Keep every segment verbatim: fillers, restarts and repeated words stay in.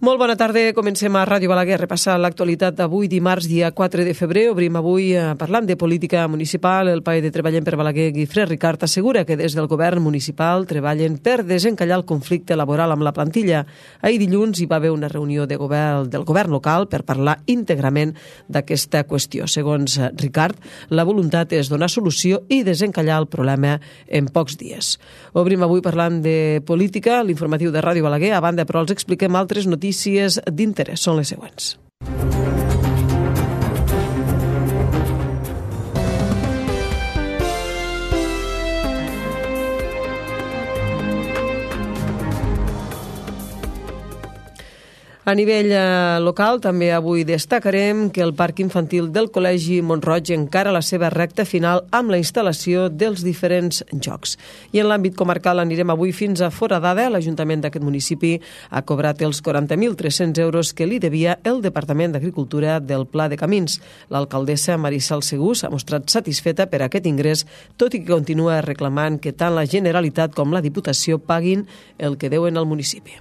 Molt bona tarda, comencem a Ràdio Balaguer, repassar l'actualitat d'avui, dimarts, dia quatre de febrer. Obrim avui parlant de política municipal. El pae de Treballem per Balaguer, Guifré Ricart, assegura que des del govern municipal treballen per desencallar el conflicte laboral amb la plantilla. Ahir dilluns hi va haver una reunió de govern, del govern local per parlar íntegrament d'aquesta qüestió. Segons Ricart, la voluntat és donar solució i desencallar el problema en pocs dies. Obrim avui parlant de política, l'informatiu de Ràdio Balaguer. A banda, però, els expliquem altres notícies d'interès. Són les següents. A nivell eh, local, també avui destacarem que el Parc Infantil del Col·legi Mont-roig encara la seva recta final amb la instal·lació dels diferents jocs. I en l'àmbit comarcal anirem avui fins a Foradada. L'Ajuntament d'aquest municipi ha cobrat els quaranta mil tres-cents euros que li devia el Departament d'Agricultura del Pla de Camins. L'alcaldessa Marisol Segú s'ha mostrat satisfeta per aquest ingrés, tot i que continua reclamant que tant la Generalitat com la Diputació paguin el que deuen al municipi.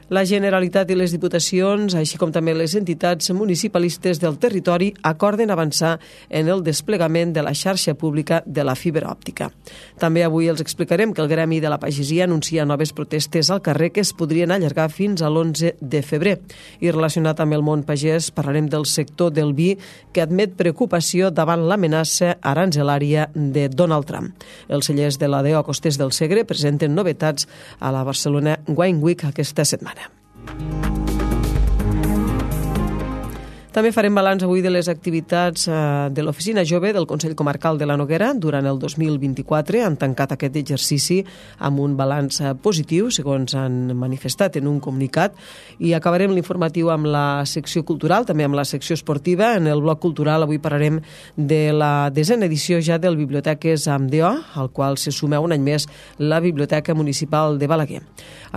La Generalitat i les Diputacions, així com també les entitats municipalistes del territori, acorden avançar en el desplegament de la xarxa pública de la fibra òptica. També avui els explicarem que el Gremi de la Pagesia anuncia noves protestes al carrer que es podrien allargar fins a l'onze de febrer. I relacionat amb el món pagès, parlarem del sector del vi, que admet preocupació davant l'amenaça aranzelària de Donald Trump. Els cellers de l'A D O Costers del Segre presenten novetats a la Barcelona Wine Week aquesta setmana. També farem balanç avui de les activitats de l'Oficina Jove del Consell Comarcal de la Noguera durant el dos mil vint-i-quatre. Han tancat aquest exercici amb un balanç positiu, segons han manifestat en un comunicat. I acabarem l'informatiu amb la secció cultural, també amb la secció esportiva. En el bloc cultural avui parlarem de la desena edició ja del Biblioteques amb D O, al qual se suma un any més la Biblioteca Municipal de Balaguer.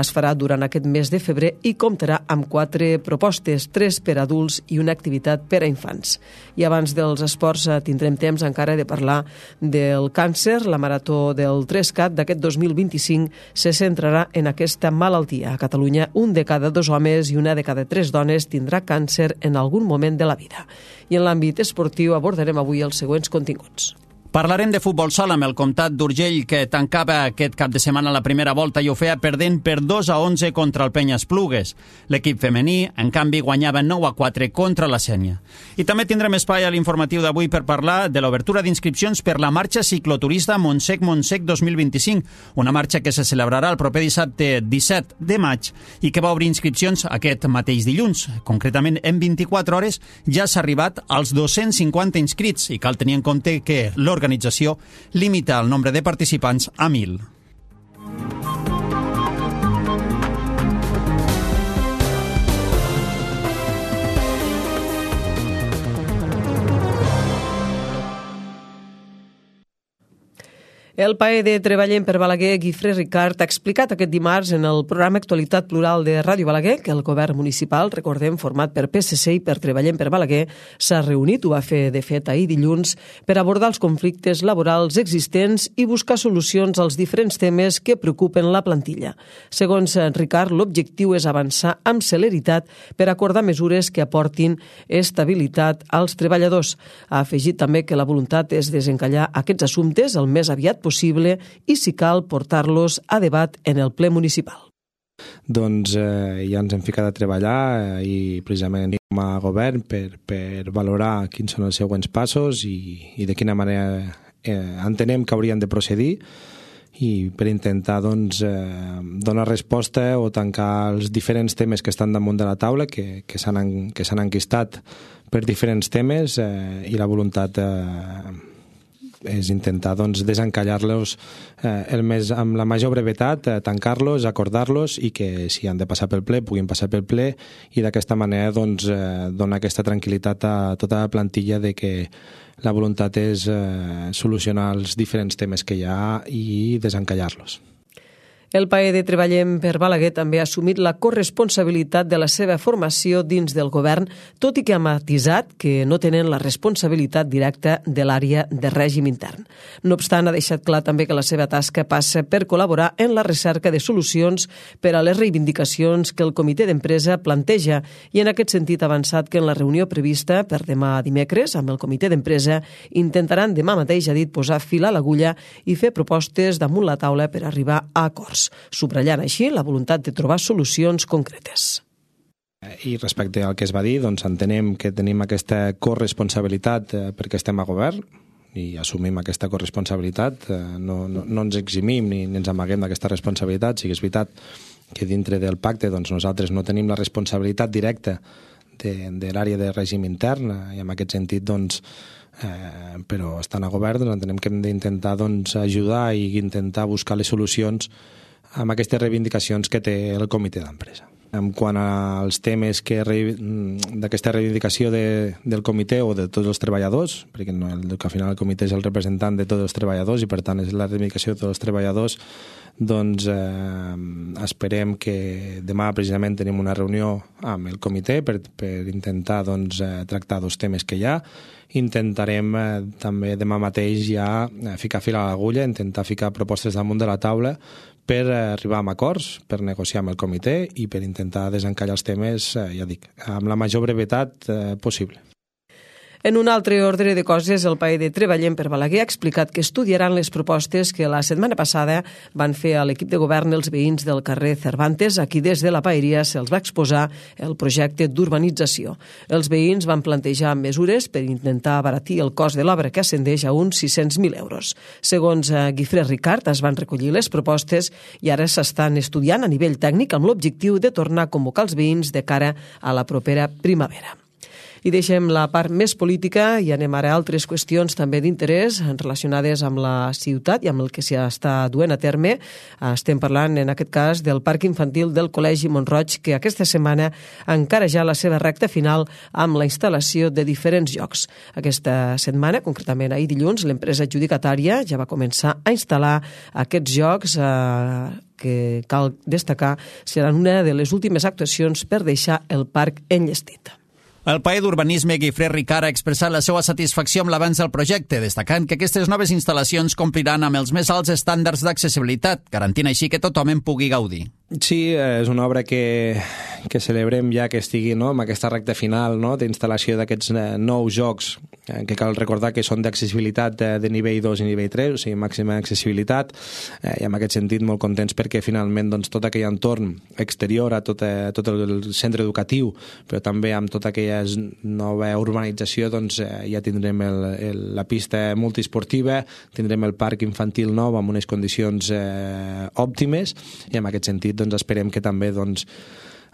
Es farà durant aquest mes de febrer i comptarà amb quatre propostes, tres per adults i una activitat per a infants. I abans dels esports tindrem temps encara de parlar del càncer. La marató del tres cat d'aquest dos mil vint-i-cinc se centrarà en aquesta malaltia. A Catalunya, un de cada dos homes i una de cada tres dones tindrà càncer en algun moment de la vida. I en l'àmbit esportiu abordarem avui els següents continguts. Parlarem de futbol sala amb el Comtat d'Urgell, que tancava aquest cap de setmana la primera volta i ho feia perdent per dos a onze contra el Penya Esplugues. L'equip femení, en canvi, guanyava nou a quatre contra la Sénia. I també tindrem espai a l'informatiu d'avui per parlar de l'obertura d'inscripcions per la marxa cicloturista Montsec-Montsec dos mil vint-i-cinc, una marxa que se celebrarà el proper dissabte disset de maig i que va obrir inscripcions aquest mateix dilluns. Concretament, en vint-i-quatre hores ja s'ha arribat als dos-cents cinquanta inscrits i cal tenir en compte que l'organització L'organització limita el nombre de participants a mil. El pae de Treballem per Balaguer, Guifré Ricart, ha explicat aquest dimarts en el programa Actualitat Plural de Ràdio Balaguer que el govern municipal, recordem, format per P S C i per Treballem per Balaguer, s'ha reunit, ho va fer de fet ahir dilluns, per abordar els conflictes laborals existents i buscar solucions als diferents temes que preocupen la plantilla. Segons Ricart, l'objectiu és avançar amb celeritat per acordar mesures que aportin estabilitat als treballadors. Ha afegit també que la voluntat és desencallar aquests assumptes el més aviat possible possible i, si cal, portar-los a debat en el ple municipal. Doncs eh, ja ens hem ficat a treballar eh, i precisament com a govern per, per valorar quins són els següents passos i, i de quina manera eh, entenem que hauríem de procedir i per intentar doncs, eh, donar resposta o tancar els diferents temes que estan damunt de la taula, que, que s'han que s'han enquistat per diferents temes eh, i la voluntat eh, és intentar doncs, desencallar-los eh, el més, amb la major brevetat, eh, tancar-los, acordar-los i que si han de passar pel ple, puguin passar pel ple i d'aquesta manera doncs, eh, donar aquesta tranquil·litat a tota la plantilla de que la voluntat és eh, solucionar els diferents temes que hi ha i desencallar-los. El P A E de Treballem per Balaguer també ha assumit la corresponsabilitat de la seva formació dins del govern, tot i que ha matisat que no tenen la responsabilitat directa de l'àrea de règim intern. No obstant, ha deixat clar també que la seva tasca passa per col·laborar en la recerca de solucions per a les reivindicacions que el comitè d'empresa planteja i en aquest sentit ha avançat que en la reunió prevista per demà dimecres amb el comitè d'empresa intentaran demà mateix, ha dit, posar fil a l'agulla i fer propostes damunt la taula per arribar a acords, subratllant així la voluntat de trobar solucions concretes. I respecte al que es va dir, doncs entenem que tenim aquesta corresponsabilitat perquè estem a govern i assumim aquesta corresponsabilitat, no, no, no ens eximim ni, ni ens amaguem d'aquesta responsabilitat. Sí que és veritat que dintre del pacte doncs, nosaltres no tenim la responsabilitat directa de, de l'àrea de règim intern i en aquest sentit doncs, Eh, però estant a govern doncs, entenem que hem d'intentar doncs, ajudar i intentar buscar les solucions amb aquestes reivindicacions que té el comitè d'empresa. En quant als temes que d'aquesta reivindicació de, del comitè o de tots els treballadors, perquè no, el, que al final el comitè és el representant de tots els treballadors i per tant és la reivindicació de tots els treballadors, doncs eh, esperem que demà precisament tenim una reunió amb el comitè per, per intentar doncs, eh, tractar dos temes que hi ha. Intentarem eh, també demà mateix ja eh, ficar fil a l'agulla, intentar ficar propostes damunt de la taula per eh, arribar a acords, per negociar amb el comitè i per intentar desencallar els temes, eh, ja dic, amb la major brevetat eh, possible. En un altre ordre de coses, el P A E de Treballem per Balaguer ha explicat que estudiaran les propostes que la setmana passada van fer a l'equip de govern els veïns del carrer Cervantes. Aquí des de la paeria se'ls va exposar el projecte d'urbanització. Els veïns van plantejar mesures per intentar abaratir el cost de l'obra que ascendeix a uns sis-cents mil euros. Segons Guifré Ricard, es van recollir les propostes i ara s'estan estudiant a nivell tècnic amb l'objectiu de tornar a convocar els veïns de cara a la propera primavera. I deixem la part més política i anem ara a altres qüestions també d'interès relacionades amb la ciutat i amb el que s'hi està duent a terme. Estem parlant, en aquest cas, del Parc Infantil del Col·legi Mont-roig, que aquesta setmana encara ja la seva recta final amb la instal·lació de diferents jocs. Aquesta setmana, concretament ahir dilluns, l'empresa adjudicatària ja va començar a instal·lar aquests jocs eh, que, cal destacar, seran una de les últimes actuacions per deixar el parc enllestit. El P A E d'Urbanisme Guifré Ricard ha expressat la seva satisfacció amb l'avanç del projecte, destacant que aquestes noves instal·lacions compliran amb els més alts estàndards d'accessibilitat, garantint així que tothom en pugui gaudir. Sí, és una obra que, que celebrem ja que estigui no, amb aquesta recta final no, d'instal·lació d'aquests nous jocs, eh, que cal recordar que són d'accessibilitat de, de nivell dos i nivell tres, o sigui, màxima accessibilitat, eh, i en aquest sentit molt contents perquè finalment doncs, tot aquell entorn exterior a tot, eh, tot el centre educatiu, però també amb tota aquella nova urbanització doncs, eh, ja tindrem el, el, la pista multiesportiva, tindrem el parc infantil nou amb unes condicions eh, òptimes i en aquest sentit doncs esperem que també doncs,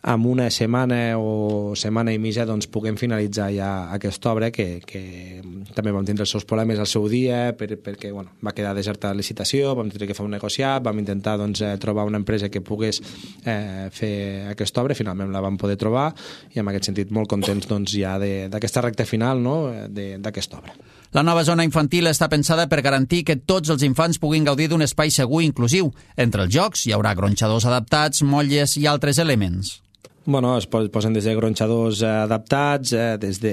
amb una setmana o setmana i mitja doncs, puguem finalitzar ja aquesta obra que, que també vam tindre els seus problemes al seu dia per, perquè bueno, va quedar deserta la licitació, vam tenir que fer un negociat, vam intentar doncs, trobar una empresa que pogués eh, fer aquesta obra, finalment la vam poder trobar i en aquest sentit molt contents doncs, ja d'aquesta recta final no, d'aquesta obra. La nova zona infantil està pensada per garantir que tots els infants puguin gaudir d'un espai segur i inclusiu. Entre els jocs hi haurà gronxadors adaptats, motlles i altres elements. Bueno, es posen des de gronxadors adaptats, eh, des de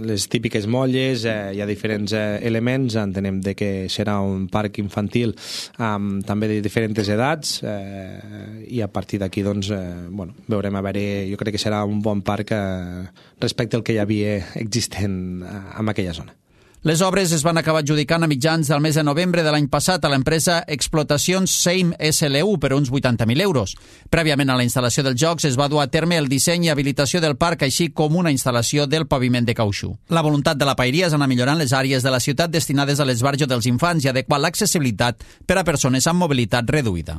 les típiques molles, eh, hi ha diferents eh, elements, entenem de que serà un parc infantil amb també de diferents edats eh, i a partir d'aquí doncs, eh, bueno, veurem a veure, jo crec que serà un bon parc eh, respecte al que hi havia existent eh, en aquella zona. Les obres es van acabar adjudicant a mitjans del mes de novembre de l'any passat a l'empresa Explotacions Seim S L U per uns vuitanta mil euros. Prèviament a la instal·lació dels jocs es va dur a terme el disseny i habilitació del parc, així com una instal·lació del paviment de cautxú. La voluntat de la paeria és anar millorant les àrees de la ciutat destinades a l'esbarjo dels infants i adequar l'accessibilitat per a persones amb mobilitat reduïda.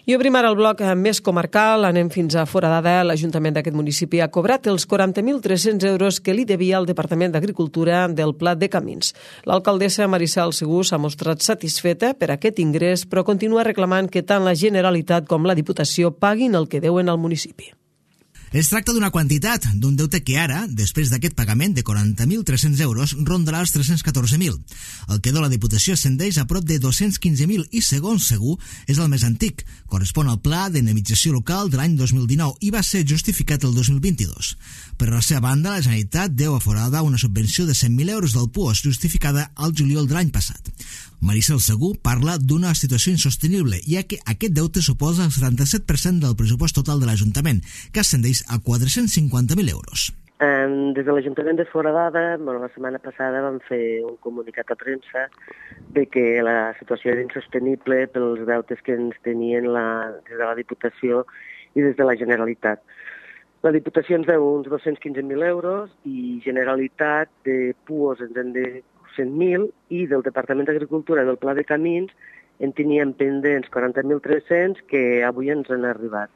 I obrim ara el bloc més comarcal, anem fins a Foradada. L'Ajuntament d'aquest municipi ha cobrat els quaranta mil tres-cents euros que li devia al Departament d'Agricultura del Pla de Camins. L'alcaldessa Maricel Segú s'ha mostrat satisfeta per aquest ingrés, però continua reclamant que tant la Generalitat com la Diputació paguin el que deuen al municipi. Es tracta d'una quantitat, d'un deute que ara, després d'aquest pagament de quaranta mil tres-cents euros, rondarà els tres-cents catorze mil. El que deu la Diputació ascendeix a prop de dos-cents quinze mil i, segons Segur, és el més antic. Correspon al Pla d'Indemnització Local de l'any dos mil dinou i va ser justificat el dos mil vint-i-dos. Per la seva banda, la Generalitat deu a Foradada una subvenció de cent mil euros del P U O S justificada al juliol de l'any passat. Maricel Segur parla d'una situació insostenible, ja que aquest deute suposa el setanta-set per cent del pressupost total de l'Ajuntament, que ascendeix a quatre-cents cinquanta mil euros. Um, des de l'Ajuntament de Foradada, bueno, la setmana passada vam fer un comunicat a premsa de que la situació era insostenible pels deutes que ens tenien la, des de la Diputació i des de la Generalitat. La Diputació ens deu uns dos-cents quinze mil euros i Generalitat de P U O S ens en deu cent mil i del Departament d'Agricultura del Pla de Camins en teníem pendents quaranta mil tres-cents que avui ens han arribat.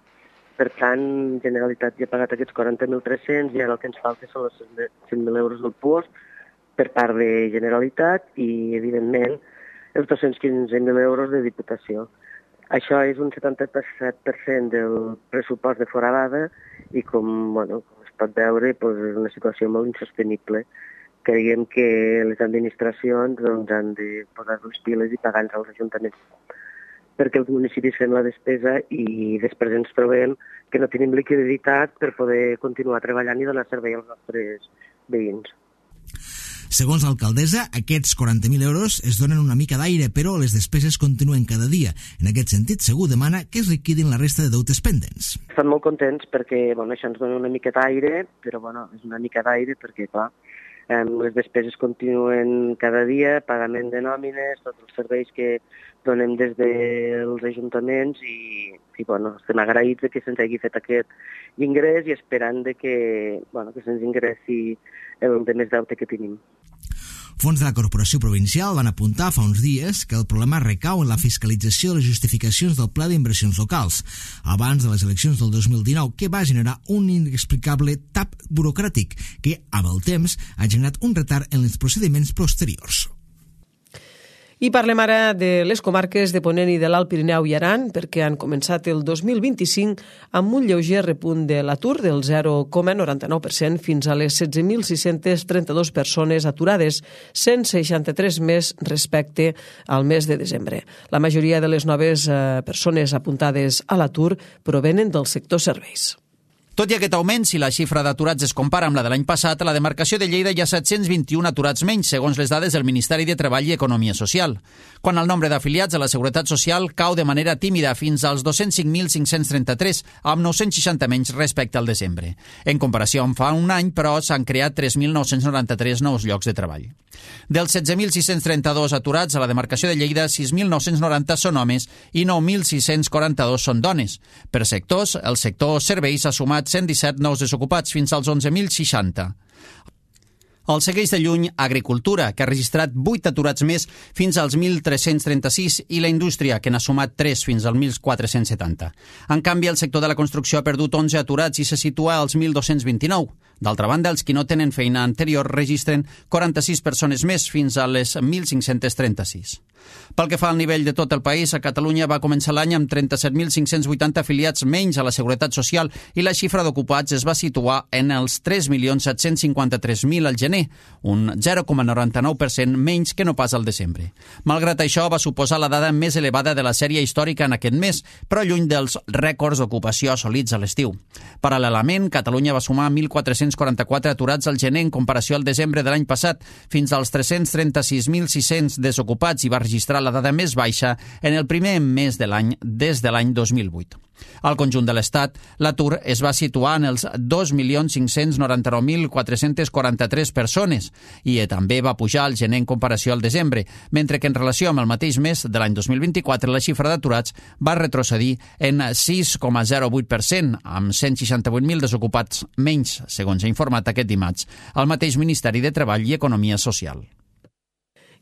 Per tant, Generalitat ja ha pagat aquests quaranta mil tres-cents i ara el que ens falta són els cent mil euros del P U O S per part de Generalitat i, evidentment, els dos-cents quinze mil euros de Diputació. Això és un setanta-set per cent del pressupost de Foradada i, com, bueno, com es pot veure, doncs és una situació molt insostenible. Creiem que les administracions doncs, han de posar les piles i pagar-nos als ajuntaments perquè els municipis fem la despesa i després ens trobem que no tenim liquiditat per poder continuar treballant i donar servei als nostres veïns. Segons l'alcaldessa, aquests quaranta mil euros es donen una mica d'aire, però les despeses continuen cada dia. En aquest sentit, Segur demana que es liquidin la resta de deutes pendents. Estan molt contents perquè bueno, això ens dona una mica d'aire, però bueno, és una mica d'aire perquè, clar, les despeses continuen cada dia, pagament de nòmines, tots els serveis que donem des dels ajuntaments i, i bueno, estem agraïts que se'ns hagi fet aquest ingrés i esperant de que, bueno, que se'ns ingressi el de més deute que tenim. Fons de la Corporació Provincial van apuntar fa uns dies que el problema recau en la fiscalització de les justificacions del Pla d'Inversions Locals abans de les eleccions del dos mil dinou, que va generar un inexplicable tap burocràtic que, amb el temps, ha generat un retard en els procediments posteriors. I parlem ara de les comarques de Ponent i de l'Alt Pirineu i Aran, perquè han començat el dos mil vint-i-cinc amb un lleuger repunt de l'atur del zero coma noranta-nou per cent fins a les setze mil sis-cents trenta-dos persones aturades, cent seixanta-tres més respecte al mes de desembre. La majoria de les noves eh, persones apuntades a l'atur provenen del sector serveis. Tot i aquest augment, si la xifra d'aturats es compara amb la de l'any passat, a la demarcació de Lleida hi ha set-cents vint-i-un aturats menys, segons les dades del Ministeri de Treball i Economia Social. Quan el nombre d'afiliats a la Seguretat Social cau de manera tímida fins als dos-cents cinc mil cinc-cents trenta-tres, amb nou-cents seixanta menys respecte al desembre. En comparació amb fa un any, però, s'han creat tres mil nou-cents noranta-tres nous llocs de treball. Dels setze mil sis-cents trenta-dos aturats a la demarcació de Lleida, sis mil nou-cents noranta són homes i nou mil sis-cents quaranta-dos són dones. Per sectors, el sector serveis ha sumat cent disset nous desocupats fins als onze mil seixanta. El segueix de lluny Agricultura, que ha registrat vuit aturats més fins als mil tres-cents trenta-sis, i la Indústria, que n'ha sumat tres fins als mil quatre-cents setanta. En canvi, el sector de la construcció ha perdut onze aturats i se situa als mil dos-cents vint-i-nou. D'altra banda, els qui no tenen feina anterior registren quaranta-sis persones més fins a les mil cinc-cents trenta-sis. Pel que fa al nivell de tot el país, a Catalunya va començar l'any amb trenta-set mil cinc-cents vuitanta afiliats menys a la Seguretat Social i la xifra d'ocupats es va situar en els tres milions set-cents cinquanta-tres mil al gener, un zero coma noranta-nou per cent menys que no pas al desembre. Malgrat això, va suposar la dada més elevada de la sèrie històrica en aquest mes, però lluny dels rècords d'ocupació assolits a l'estiu. Paral·lelament, Catalunya va sumar mil quatre-cents quaranta-quatre aturats al gener en comparació al desembre de l'any passat, fins als tres-cents trenta-sis mil sis-cents desocupats i va registrar la dada més baixa en el primer mes de l'any des de l'any dos mil vuit. Al conjunt de l'Estat, l'atur es va situar en els dos milions cinc-cents noranta-nou mil quatre-cents quaranta-tres persones i també va pujar al gener en comparació al desembre, mentre que en relació amb el mateix mes de l'any dos mil vint-i-quatre la xifra d'aturats va retrocedir en sis coma zero vuit per cent, amb cent seixanta-vuit mil desocupats menys, segons ha informat aquest dimarts el mateix Ministeri de Treball i Economia Social.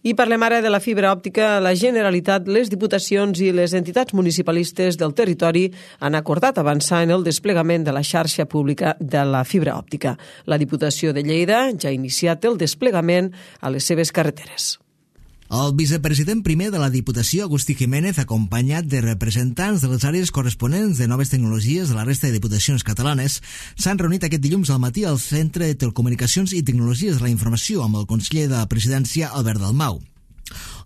I parlem ara de la fibra òptica. La Generalitat, les diputacions i les entitats municipalistes del territori han acordat avançar en el desplegament de la xarxa pública de la fibra òptica. La Diputació de Lleida ja ha iniciat el desplegament a les seves carreteres. El vicepresident primer de la Diputació, Agustí Jiménez, acompanyat de representants de les àrees corresponents de noves tecnologies de la resta de diputacions catalanes, s'han reunit aquest dilluns al matí al Centre de Telecomunicacions i Tecnologies de la Informació amb el conseller de la Presidència, Albert Dalmau.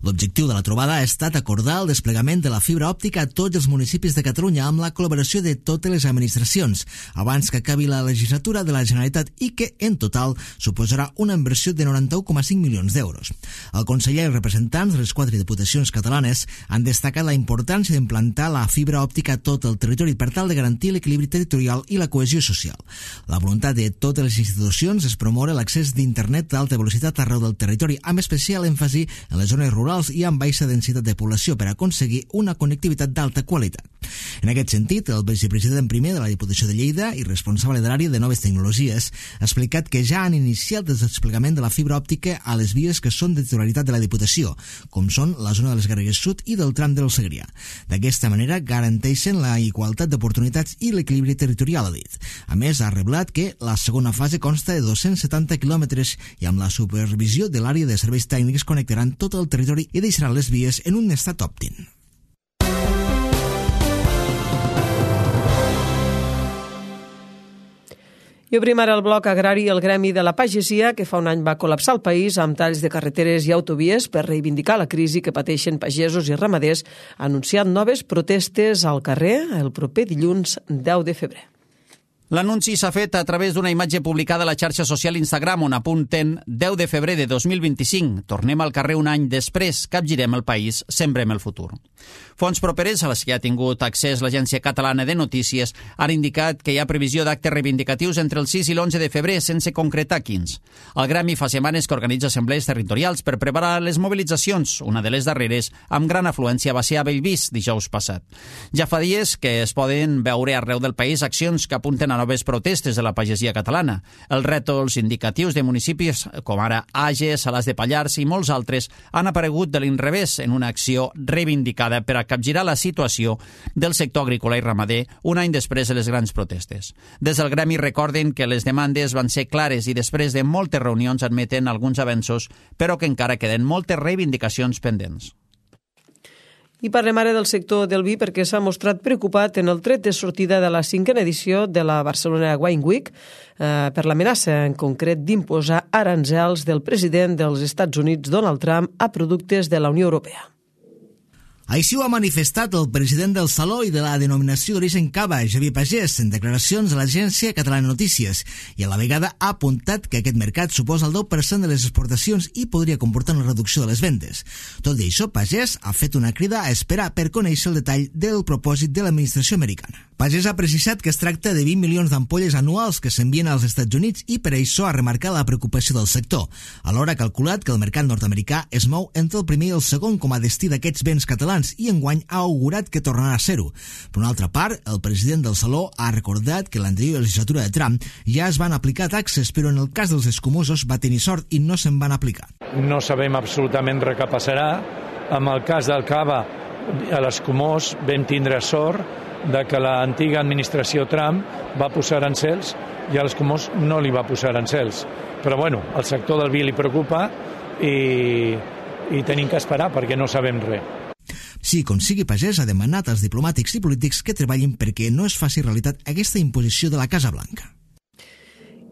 L'objectiu de la trobada ha estat acordar el desplegament de la fibra òptica a tots els municipis de Catalunya amb la col·laboració de totes les administracions abans que acabi la legislatura de la Generalitat i que, en total, suposarà una inversió de noranta-u coma cinc milions d'euros. El conseller i els representants de les quatre diputacions catalanes han destacat la importància d'implantar la fibra òptica a tot el territori per tal de garantir l'equilibri territorial i la cohesió social. La voluntat de totes les institucions és promoure l'accés d'internet d'alta velocitat arreu del territori, amb especial èmfasi en les zones rurals i amb baixa densitat de població per aconseguir una connectivitat d'alta qualitat. En aquest sentit, el vicepresident primer de la Diputació de Lleida i responsable de l'àrea de noves tecnologies ha explicat que ja han iniciat el desplegament de la fibra òptica a les vies que són de titularitat de la Diputació, com són la zona de les Garrigues Sud i del tram del Segrià. D'aquesta manera garanteixen la igualtat d'oportunitats i l'equilibri territorial, ha dit. A més, ha reblat que la segona fase consta de dos-cents setanta quilòmetres i amb la supervisió de l'àrea de serveis tècnics connectaran tot el territori i deixaran les vies en un estat òptim. I obrim ara el bloc agrari i el gremi de la pagesia, que fa un any va col·lapsar el país amb talls de carreteres i autovies per reivindicar la crisi que pateixen pagesos i ramaders, anunciant noves protestes al carrer el proper dilluns deu de febrer. L'anunci s'ha fet a través d'una imatge publicada a la xarxa social Instagram on apunten deu de febrer de dos mil vint-i-cinc. Tornem al carrer un any després, capgirem el país, sembrem el futur. Fonts properes a les que ha tingut accés l'Agència Catalana de Notícies han indicat que hi ha previsió d'actes reivindicatius entre el sis i l'onze de febrer sense concretar quins. El Gremi fa setmanes que organitza assemblees territorials per preparar les mobilitzacions. Una de les darreres, amb gran afluència, va ser a Bellvís dijous passat. Ja fa dies que es poden veure arreu del país accions que apunten a noves protestes de la pagesia catalana. Els rètols indicatius de municipis com ara Ages, Salàs de Pallars i molts altres han aparegut de l'inrevés en una acció reivindicada per a capgirar la situació del sector agrícola i ramader un any després de les grans protestes. Des del Gremi recorden que les demandes van ser clares i després de moltes reunions admeten alguns avenços, però que encara queden moltes reivindicacions pendents. I parlem ara del sector del vi perquè s'ha mostrat preocupat en el tret de sortida de la cinquena edició de la Barcelona Wine Week eh, per l'amenaça en concret d'imposar aranzels del president dels Estats Units, Donald Trump, a productes de la Unió Europea. Així ho ha manifestat el president del Saló i de la denominació d'origen Cava, Xavier Pagès, en declaracions a l'Agència Catalana de Notícies, i a la vegada ha apuntat que aquest mercat suposa el deu per cent de les exportacions i podria comportar una reducció de les vendes. Tot i això, Pagès ha fet una crida a esperar per conèixer el detall del propòsit de l'administració americana. Pagès ha precisat que es tracta de vint milions d'ampolles anuals que s'envien als Estats Units i per això ha remarcat la preocupació del sector. Alhora ha calculat que el mercat nord-americà es mou entre el primer i el segon com a destí d'aquests béns catalans i enguany ha augurat que tornarà a ser-ho. Per una altra part, el president del Saló ha recordat que l'anterior legislatura de Trump ja es van aplicar taxes, però en el cas dels escumosos va tenir sort i no se'n van aplicar. No sabem absolutament res que passarà. En el cas del Cava, a l'escumós vam tindre sort de que l'antiga administració Trump va posar arancels i a l'escumós no li va posar arancels. Però bueno, el sector del vi li preocupa i, i tenim que esperar perquè no sabem res. Sí, com sigui, Pagès ha demanat als diplomàtics i polítics que treballin perquè no es faci realitat aquesta imposició de la Casa Blanca.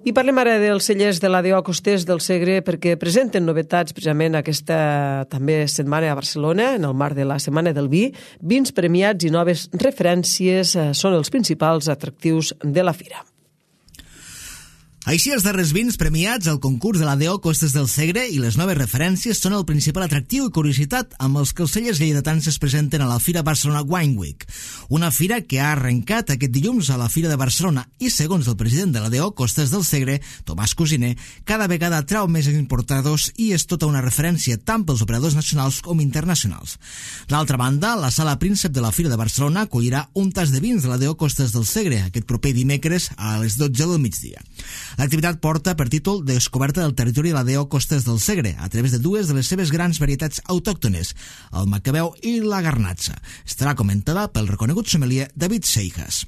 I parlem ara dels cellers de l'A D O Costers del Segre perquè presenten novetats precisament aquesta també setmana a Barcelona, en el marc de la Setmana del Vi. Vins premiats i noves referències són els principals atractius de la fira. Així, els darrers vins premiats al concurs de l'A D O Costes del Segre i les noves referències són el principal atractiu i curiositat amb els que els cellers lleidatans es presenten a la Fira Barcelona Wine Week, una fira que ha arrencat aquest dilluns a la Fira de Barcelona i, segons el president de l'A D O Costes del Segre, Tomàs Cosiner, cada vegada trau més importadors i és tota una referència tant pels operadors nacionals com internacionals. D'altra banda, la Sala Príncep de la Fira de Barcelona acollirà un tas de vins de l'A D O Costes del Segre aquest proper dimecres a les dotze del migdia. L'activitat porta per títol Descoberta del territori de l'A D O Costes del Segre a través de dues de les seves grans varietats autòctones, el macabeu i la garnatxa. Estarà comentada pel reconegut sommelier David Seijas.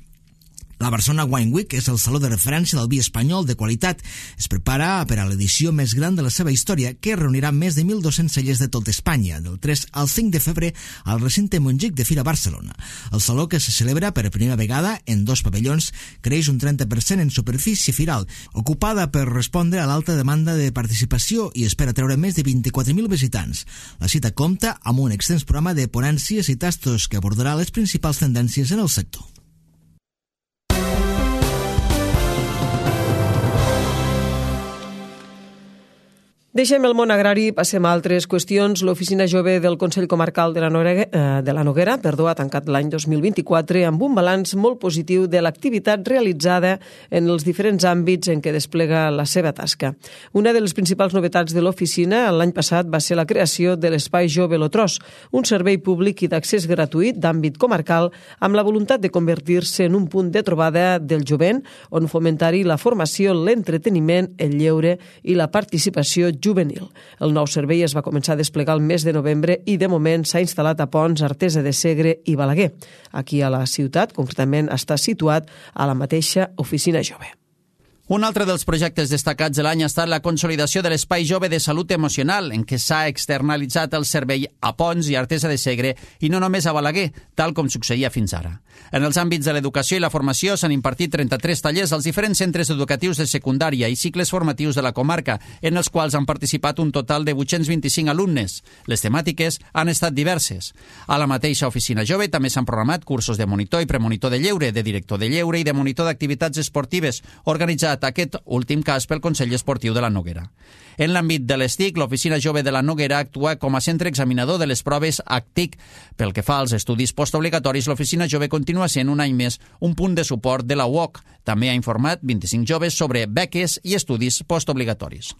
La Barcelona Wine Week és el saló de referència del vi espanyol de qualitat. Es prepara per a l'edició més gran de la seva història, que reunirà més de mil dos-cents cellers de tot Espanya, del tres al cinc de febrer al recinte Montjuïc de Fira Barcelona. El saló, que se celebra per primera vegada en dos pavellons, creix un trenta per cent en superfície firal, ocupada per respondre a l'alta demanda de participació i espera treure més de vint-i-quatre mil visitants. La cita compta amb un extens programa de ponències i tastos que abordarà les principals tendències en el sector. Deixem el món agrari, passem a altres qüestions. L'Oficina Jove del Consell Comarcal de la Noguera, eh, de la Noguera perdó, ha tancat l'any dos mil vint-i-quatre amb un balanç molt positiu de l'activitat realitzada en els diferents àmbits en què desplega la seva tasca. Una de les principals novetats de l'oficina l'any passat va ser la creació de l'Espai Jove Lotrós, un servei públic i d'accés gratuït d'àmbit comarcal amb la voluntat de convertir-se en un punt de trobada del jovent on fomentar-hi la formació, l'entreteniment, el lleure i la participació juvenil. El nou servei es va començar a desplegar el mes de novembre i de moment s'ha instal·lat a Pons, Artesa de Segre i Balaguer. Aquí a la ciutat, concretament, està situat a la mateixa Oficina Jove. Un altre dels projectes destacats de l'any ha estat la consolidació de l'Espai Jove de Salut Emocional, en què s'ha externalitzat el servei a Pons i Artesa de Segre i no només a Balaguer, tal com succeïa fins ara. En els àmbits de l'educació i la formació s'han impartit trenta-tres tallers als diferents centres educatius de secundària i cicles formatius de la comarca, en els quals han participat un total de vuit-cents vint-i-cinc alumnes. Les temàtiques han estat diverses. A la mateixa Oficina Jove també s'han programat cursos de monitor i premonitor de lleure, de director de lleure i de monitor d'activitats esportives, organitzats aquest últim cas pel Consell Esportiu de la Noguera. En l'àmbit de l'S T I C, l'Oficina Jove de la Noguera actua com a centre examinador de les proves A C T I C. Pel que fa als estudis postobligatoris, l'Oficina Jove continua sent un any més un punt de suport de la U O C. També ha informat vint-i-cinc joves sobre beques i estudis postobligatoris.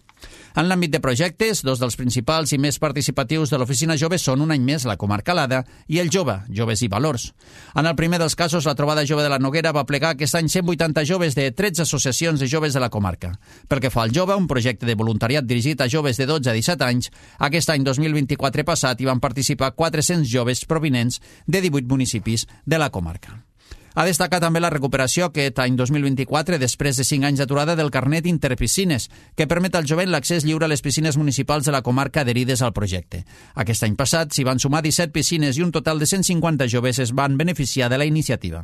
En l'àmbit de projectes, dos dels principals i més participatius de l'Oficina Jove són un any més la Comarcalada i el Jove, Joves i Valors. En el primer dels casos, la Trobada Jove de la Noguera va plegar aquest any cent vuitanta joves de tretze associacions de joves de la comarca. Pel que fa al Jove, un projecte de voluntariat dirigit a joves de dotze a disset anys, aquest any dos mil vint-i-quatre passat hi van participar quatre-cents joves provinents de divuit municipis de la comarca. Ha destacat també la recuperació aquest any dos mil vint-i-quatre després de cinc anys d'aturada del carnet Interpiscines, que permet al jovent l'accés lliure a les piscines municipals de la comarca adherides al projecte. Aquest any passat s'hi van sumar disset piscines i un total de cent cinquanta joves es van beneficiar de la iniciativa.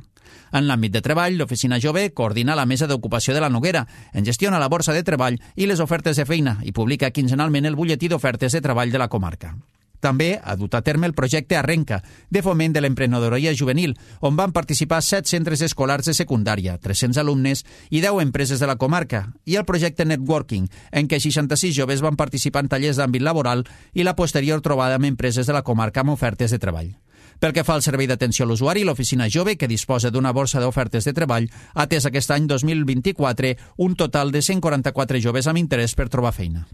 En l'àmbit de treball, l'Oficina Jove coordina la Mesa d'Ocupació de la Noguera, en gestiona la borsa de treball i les ofertes de feina i publica quinzenalment el butlletí d'ofertes de treball de la comarca. També ha dut a terme el projecte Arrenca, de foment de l'emprenedoria juvenil, on van participar set centres escolars de secundària, tres-cents alumnes i deu empreses de la comarca, i el projecte Networking, en què seixanta-sis joves van participar en tallers d'àmbit laboral i la posterior trobada amb empreses de la comarca amb ofertes de treball. Pel que fa al servei d'atenció a l'usuari, l'Oficina Jove, que disposa d'una borsa d'ofertes de treball, ha atès aquest any dos mil vint-i-quatre un total de cent quaranta-quatre joves amb interès per trobar feina.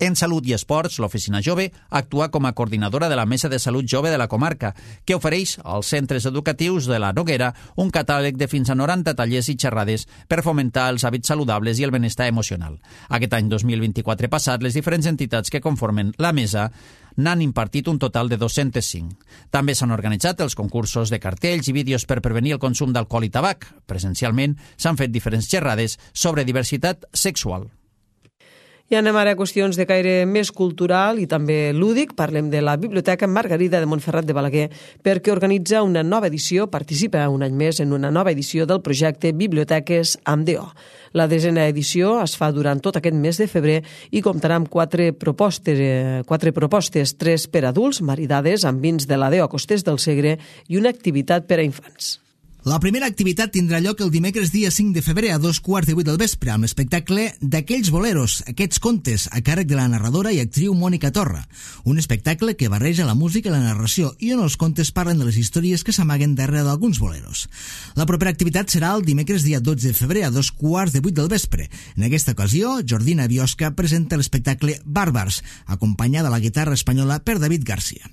En Salut i Esports, l'Oficina Jove actua com a coordinadora de la Mesa de Salut Jove de la comarca, que ofereix als centres educatius de la Noguera un catàleg de fins a noranta tallers i xerrades per fomentar els hàbits saludables i el benestar emocional. Aquest any dos mil vint-i-quatre passat, les diferents entitats que conformen la mesa n'han impartit un total de dos-cents cinc. També s'han organitzat els concursos de cartells i vídeos per prevenir el consum d'alcohol i tabac. Presencialment s'han fet diferents xerrades sobre diversitat sexual. I anem ara a qüestions de caire més cultural i també lúdic. Parlem de la Biblioteca Margarida de Montferrat de Balaguer, perquè organitza una nova edició, participa un any més en una nova edició del projecte Biblioteques amb D O. La desena edició es fa durant tot aquest mes de febrer i comptarà amb quatre propostes, quatre propostes, tres per adults, maridades amb vins de la D O Costers del Segre i una activitat per a infants. La primera activitat tindrà lloc el dimecres dia cinc de febrer a dos quarts de vuit del vespre amb l'espectacle d'Aquells boleros, aquests contes, a càrrec de la narradora i actriu Mònica Torra. Un espectacle que barreja la música i la narració i on els contes parlen de les històries que s'amaguen darrere d'alguns boleros. La propera activitat serà el dimecres dia dotze de febrer a dos quarts de vuit del vespre. En aquesta ocasió, Jordina Biosca presenta l'espectacle Bàrbars, acompanyada a la guitarra espanyola per David Garcia.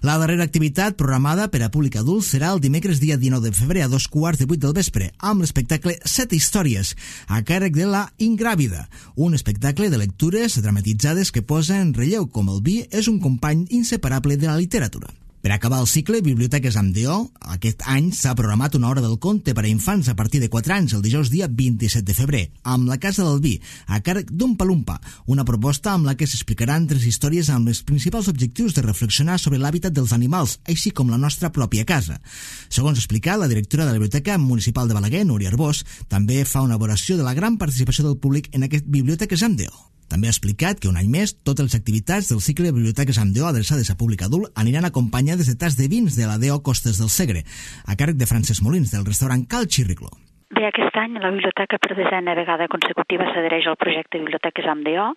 La darrera activitat programada per a públic adult serà el dimecres dia dinou de febrer a dos quarts de vuit del vespre, amb l'espectacle Set històries, a càrrec de la Ingràvida, un espectacle de lectures dramatitzades que posa en relleu com el vi és un company inseparable de la literatura. Per acabar el cicle Biblioteques amb D O, aquest any s'ha programat una hora del conte per a infants a partir de quatre anys el dijous dia vint-i-set de febrer, amb la Casa del Vi, a càrrec d'un Palumpa, una proposta amb la que s'explicaran tres històries amb els principals objectius de reflexionar sobre l'hàbitat dels animals, així com la nostra pròpia casa. Segons explica la directora de la Biblioteca Municipal de Balaguer, Núria Arbós, també fa una valoració de la gran participació del públic en aquest Biblioteques amb D O. També ha explicat que un any més totes les activitats del cicle de Biblioteques amb D O adreçades a públic adult aniran acompanyades de tas de vins de la D O Costes del Segre, a càrrec de Francesc Molins, del restaurant Cal Xirricló. Bé, aquest any la biblioteca per desena vegada consecutiva s'adhereix al projecte Biblioteques amb D O.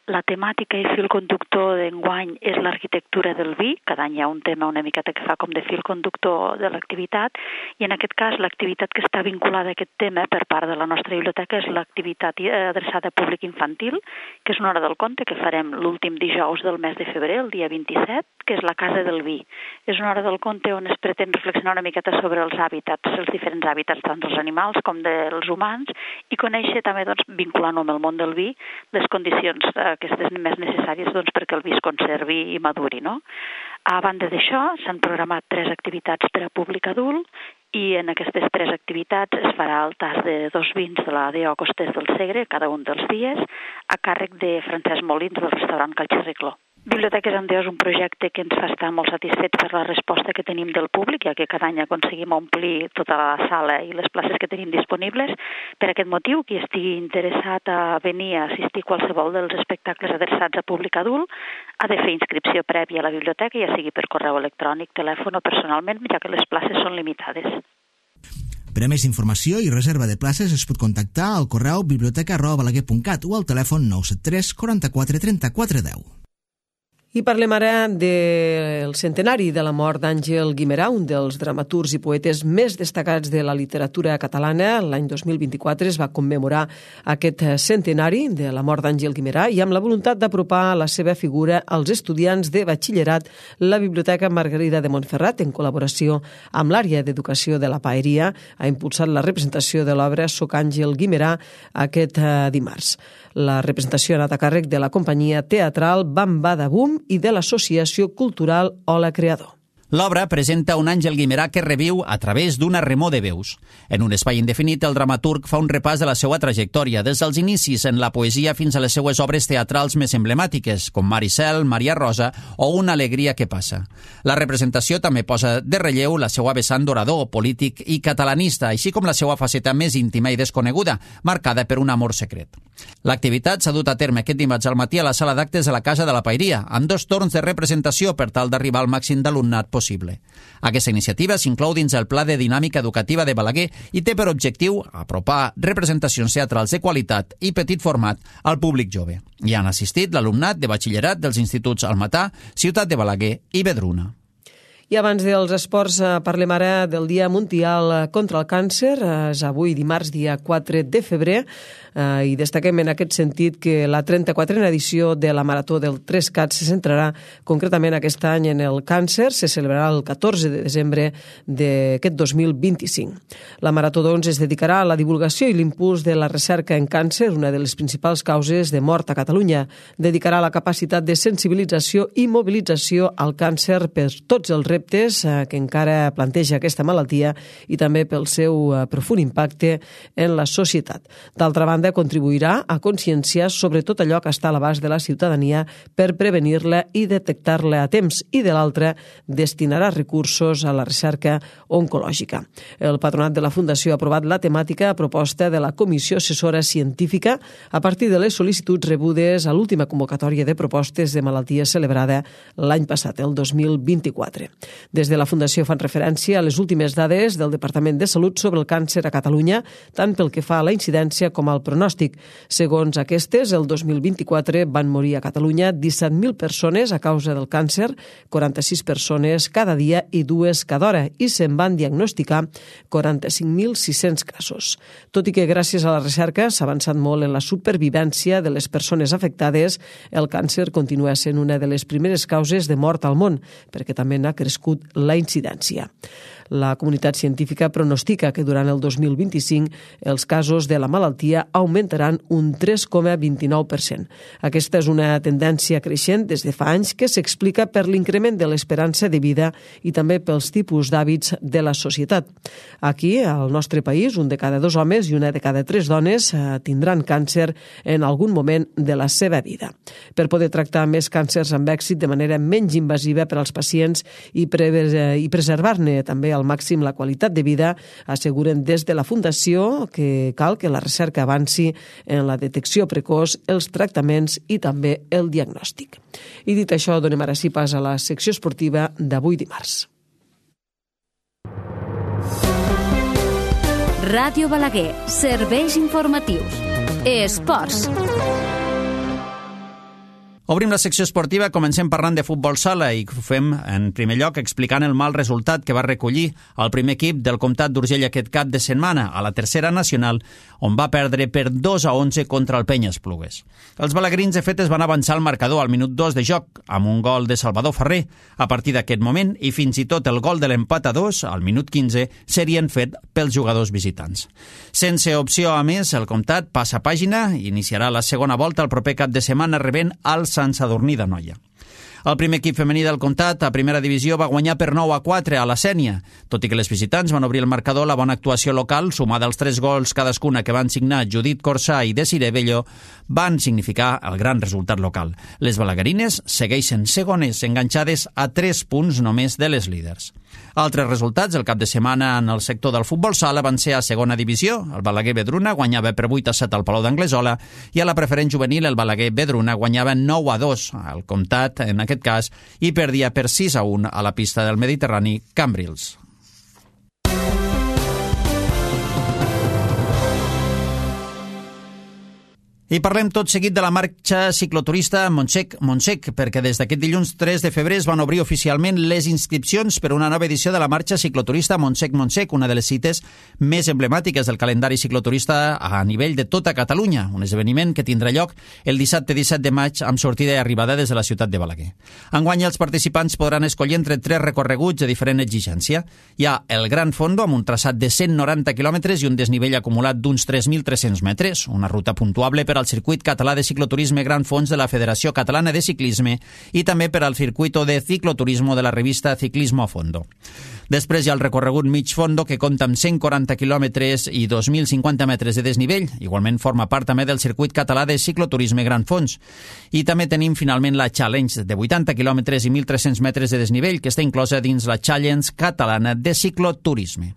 La temàtica i fil conductor d'enguany és l'arquitectura del vi. Cada any hi ha un tema una miqueta que fa com de fil conductor de l'activitat, i en aquest cas l'activitat que està vinculada a aquest tema per part de la nostra biblioteca és l'activitat adreçada a públic infantil, que és una hora del conte que farem l'últim dijous del mes de febrer, el dia vint-i-set, que és la Casa del Vi. És una hora del conte on es pretén reflexionar una miqueta sobre els hàbitats, els diferents hàbitats tant dels animals com dels humans, i conèixer també, doncs, vinculant-ho amb el món del vi, les condicions aquestes més necessàries, doncs, perquè el vi es conservi i maduri, no? A banda d'això, s'han programat tres activitats per a públic adult, i en aquestes tres activitats es farà el tas de dos vins de la D O Costes del Segre cada un dels dies, a càrrec de Francesc Molins del restaurant Cal Xirricló. Biblioteques amb D O és un projecte que ens fa estar molt satisfets per la resposta que tenim del públic, ja que cada any aconseguim omplir tota la sala i les places que tenim disponibles. Per aquest motiu, qui estigui interessat a venir a assistir a qualsevol dels espectacles adreçats a públic adult ha de fer inscripció prèvia a la biblioteca, ja sigui per correu electrònic, telèfon o personalment, ja que les places són limitades. Per a més informació i reserva de places es pot contactar al correu biblioteca arroba balaguer punt cat o al telèfon nou set tres quaranta-quatre trenta-quatre deu. I parlem ara del centenari de la mort d'Àngel Guimerà, un dels dramaturgs i poetes més destacats de la literatura catalana. L'any dos mil vint-i-quatre es va commemorar aquest centenari de la mort d'Àngel Guimerà, i amb la voluntat d'apropar la seva figura als estudiants de batxillerat, la Biblioteca Margarida de Montferrat, en col·laboració amb l'àrea d'educació de la Paeria, ha impulsat la representació de l'obra Soc Àngel Guimerà aquest dimarts. La representació ha anat a càrrec de la companyia teatral Bam Bada Bum i de l'associació cultural Hola Creador. L'obra presenta un Àngel Guimerà que reviu a través d'una remor de veus. En un espai indefinit, el dramaturg fa un repàs de la seva trajectòria, des dels inicis en la poesia fins a les seues obres teatrals més emblemàtiques, com Maricel, Maria Rosa o Una alegria que passa. La representació també posa de relleu la seva vessant d'orador, polític i catalanista, així com la seva faceta més íntima i desconeguda, marcada per un amor secret. L'activitat s'ha dut a terme aquest dimarts al matí a la sala d'actes de la Casa de la Paeria, amb dos torns de representació per tal d'arribar al màxim d'alumnat possible. Aquesta iniciativa s'inclou dins el Pla de Dinàmica Educativa de Balaguer i té per objectiu apropar representacions teatrals de qualitat i petit format al públic jove. Hi han assistit l'alumnat de batxillerat dels instituts Almatà, Ciutat de Balaguer i Vedruna. I abans dels esports parlem ara del Dia Mundial contra el Càncer. És avui dimarts, dia quatre de febrer, i destaquem en aquest sentit que la trenta-quatrena edició de la Marató del Trescat se centrarà concretament aquest any en el càncer. Se celebrarà el catorze de desembre d'aquest dos mil vint-i-cinc. La Marató, doncs, es dedicarà a la divulgació i l'impuls de la recerca en càncer, una de les principals causes de mort a Catalunya. Dedicarà la capacitat de sensibilització i mobilització al càncer per tots els reptes que encara planteja aquesta malaltia i també pel seu profund impacte en la societat. D'altra banda, contribuirà a conscienciar sobre tot allò que està a l'abast de la ciutadania per prevenir-la i detectar-la a temps, i de l'altra destinarà recursos a la recerca oncològica. El patronat de la Fundació ha aprovat la temàtica a proposta de la Comissió Assessora Científica a partir de les sol·licituds rebudes a l'última convocatòria de propostes de malaltia celebrada l'any passat, el dos mil vint-i-quatre. Des de la Fundació fan referència a les últimes dades del Departament de Salut sobre el càncer a Catalunya, tant pel que fa a la incidència com al pronòstic. Segons aquestes, el dos mil vint-i-quatre van morir a Catalunya disset mil persones a causa del càncer, quaranta-sis persones cada dia i dues cada hora, i se'n van diagnosticar quaranta-cinc mil sis-cents casos. Tot i que gràcies a la recerca s'ha avançat molt en la supervivència de les persones afectades, el càncer continua sent una de les primeres causes de mort al món, perquè també n'ha crescut la incidència. La comunitat científica pronostica que durant el dos mil vint-i-cinc els casos de la malaltia augmentaran un tres coma vint-i-nou per cent. Aquesta és una tendència creixent des de fa anys que s'explica per l'increment de l'esperança de vida i també pels tipus d'hàbits de la societat. Aquí, al nostre país, un de cada dos homes i una de cada tres dones tindran càncer en algun moment de la seva vida. Per poder tractar més càncers amb èxit de manera menys invasiva per als pacients i, pre i preservar-ne també al màxim la qualitat de vida, asseguren des de la Fundació que cal que la recerca avanci en la detecció precoç, els tractaments i també el diagnòstic. I dit això, donem ara sí pas a la secció esportiva d'avui dimarts. Ràdio Balaguer, serveis informatius. Esports. Obrim la secció esportiva, comencem parlant de futbol sala i ho fem en primer lloc explicant el mal resultat que va recollir el primer equip del Comtat d'Urgell aquest cap de setmana a la tercera nacional, on va perdre per dos a onze contra el Penya Esplugues. Els balaguerins, de fet, es van avançar al marcador al minut dos de joc amb un gol de Salvador Ferrer. A partir d'aquest moment, i fins i tot el gol de l'empat a dos, al minut quinze, serien fet pels jugadors visitants. Sense opció a més, el Comtat passa pàgina i iniciarà la segona volta el proper cap de setmana rebent al Sant Sadurní d'Anoia. El primer equip femení del Comtat a primera divisió va guanyar per nou a quatre a la Sénia. Tot i que les visitants van obrir el marcador, la bona actuació local, sumada als tres gols cadascuna que van signar Judit Corsà i Desiree Bello, van significar el gran resultat local. Les balaguerines segueixen segones, enganxades a tres punts només de les líders. Altres resultats el cap de setmana en el sector del futbol sala van ser a segona divisió. El Balaguer Vedruna guanyava per vuit a set al Palau d'Anglesola i a la preferent juvenil el Balaguer Vedruna guanyava nou a dos al Comtat, en aquest cas, i perdia per sis a un a la pista del Mediterrani Cambrils. I parlem tot seguit de la marxa cicloturista Montsec-Montsec, perquè des d'aquest dilluns tres de febrer es van obrir oficialment les inscripcions per una nova edició de la marxa cicloturista Montsec-Montsec, una de les cites més emblemàtiques del calendari cicloturista a nivell de tota Catalunya, un esdeveniment que tindrà lloc el dissabte disset de maig amb sortida i arribada des de la ciutat de Balaguer. Enguany els participants podran escollir entre tres recorreguts de diferent exigència. Hi ha el Gran Fondo amb un traçat de cent noranta quilòmetres i un desnivell acumulat d'uns tres mil tres-cents metres, una ruta puntuable per al Circuit Català de Cicloturisme Gran Fons de la Federació Catalana de Ciclisme i també per al Circuito de Cicloturismo de la revista Ciclismo a Fondo. Després hi ha el recorregut mig fondo, que compta amb cent quaranta quilòmetres i dos mil cinquanta metres de desnivell. Igualment forma part també del Circuit Català de Cicloturisme Gran Fons. I també tenim finalment la Challenge de vuitanta quilòmetres i mil tres-cents metres de desnivell, que està inclosa dins la Challenge Catalana de Cicloturisme.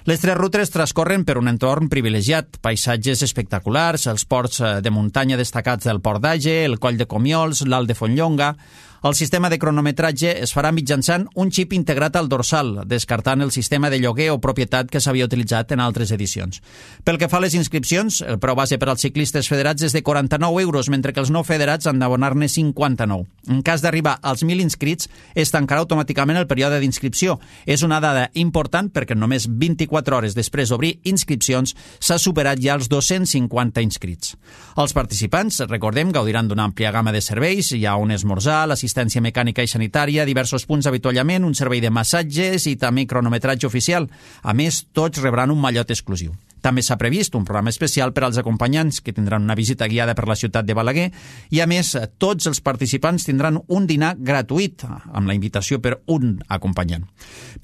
Les tres rutes transcorren per un entorn privilegiat, paisatges espectaculars, els ports de muntanya destacats del Port d'Age, el Coll de Comiols, l'Alt de Fontlonga. El sistema de cronometratge es farà mitjançant un xip integrat al dorsal, descartant el sistema de lloguer o propietat que s'havia utilitzat en altres edicions. Pel que fa a les inscripcions, el preu base per als ciclistes federats és de quaranta-nou euros, mentre que els no federats han d'abonar-ne cinquanta-nou. En cas d'arribar als mil inscrits, es tancarà automàticament el període d'inscripció. És una dada important perquè només vint-i-quatre hores després d'obrir inscripcions s'ha superat ja els dos-cents cinquanta inscrits. Els participants, recordem, gaudiran d'una àmplia gamma de serveis. Hi ha un esmorzar, l'assistència mecànica i sanitària, diversos punts d'avituallament, un servei de massatges i també cronometratge oficial. A més, tots rebran un mallot exclusiu. També s'ha previst un programa especial per als acompanyants que tindran una visita guiada per la ciutat de Balaguer i, a més, tots els participants tindran un dinar gratuït amb la invitació per un acompanyant.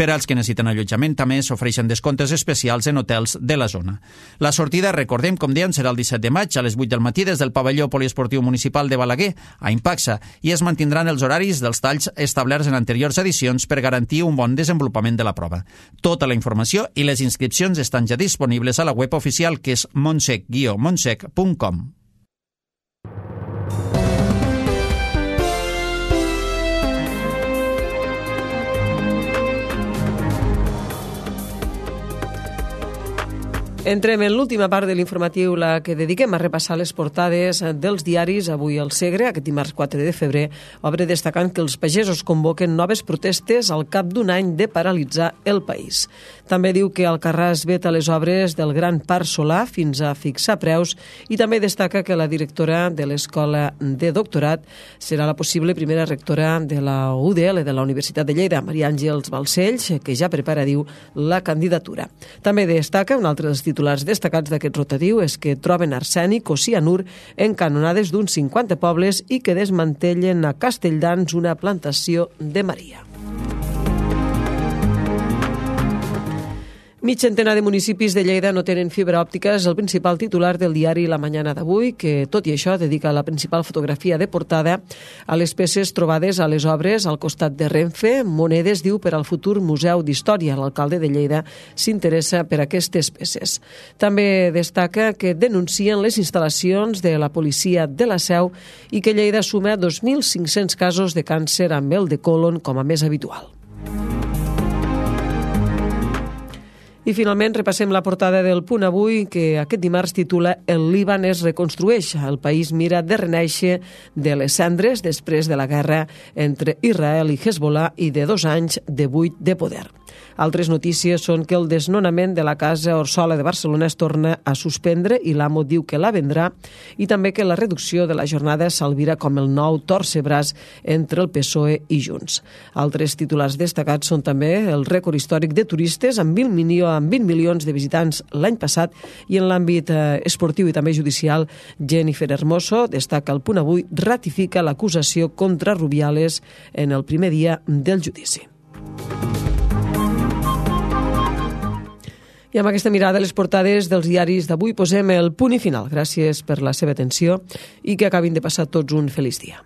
Per als que necessiten allotjament també s'ofereixen descomptes especials en hotels de la zona. La sortida, recordem, com dèiem, serà el disset de maig a les vuit del matí des del pavelló poliesportiu municipal de Balaguer a Impaxa i es mantindran els horaris dels talls establerts en anteriors edicions per garantir un bon desenvolupament de la prova. Tota la informació i les inscripcions estan ja disponibles a la web oficial, que és montsec guió montsec punt com. Entrem en l'última part de l'informatiu, la que dediquem a repassar les portades dels diaris. Avui el Segre, aquest dimarts quatre de febrer, obre destacant que els pagesos convoquen noves protestes al cap d'un any de paralitzar el país. També diu que Alcarràs veta les obres del Gran Parc Solà fins a fixar preus i també destaca que la directora de l'Escola de Doctorat serà la possible primera rectora de la U D L de la Universitat de Lleida, Maria Àngels Balcells, que ja prepara, diu, la candidatura. També destaca un altre dels titulars destacats d'aquest rotatiu és que troben arsènic o cianur en canonades d'uns cinquanta pobles i que desmantellen a Castelldans una plantació de Maria. Mig centenar de municipis de Lleida no tenen fibra òptica, és el principal titular del diari La Mañana d'avui, que, tot i això, dedica la principal fotografia de portada a les peces trobades a les obres al costat de Renfe. Monedes, diu, per al futur Museu d'Història. L'alcalde de Lleida s'interessa per aquestes peces. També destaca que denuncien les instal·lacions de la policia de la Seu i que Lleida suma dos mil cinc-cents casos de càncer amb el de còlon com a més habitual. I finalment repassem la portada del Punt Avui, que aquest dimarts titula El Líban es reconstrueix. El país mira de renéixer de les cendres després de la guerra entre Israel i Hezbollah i de dos anys de buit de poder. Altres notícies són que el desnonament de la Casa Orsola de Barcelona es torna a suspendre i l'amo diu que la vendrà, i també que la reducció de la jornada s'albira com el nou torcebraç entre el P S O E i Junts. Altres titulars destacats són també el rècord històric de turistes amb vint, milió, amb vint milions de visitants l'any passat, i en l'àmbit eh, esportiu i també judicial, Jennifer Hermoso, destaca el Punt Avui, ratifica l'acusació contra Rubiales en el primer dia del judici. I amb aquesta mirada a les portades dels diaris d'avui posem el punt i final. Gràcies per la seva atenció i que acabin de passar tots un feliç dia.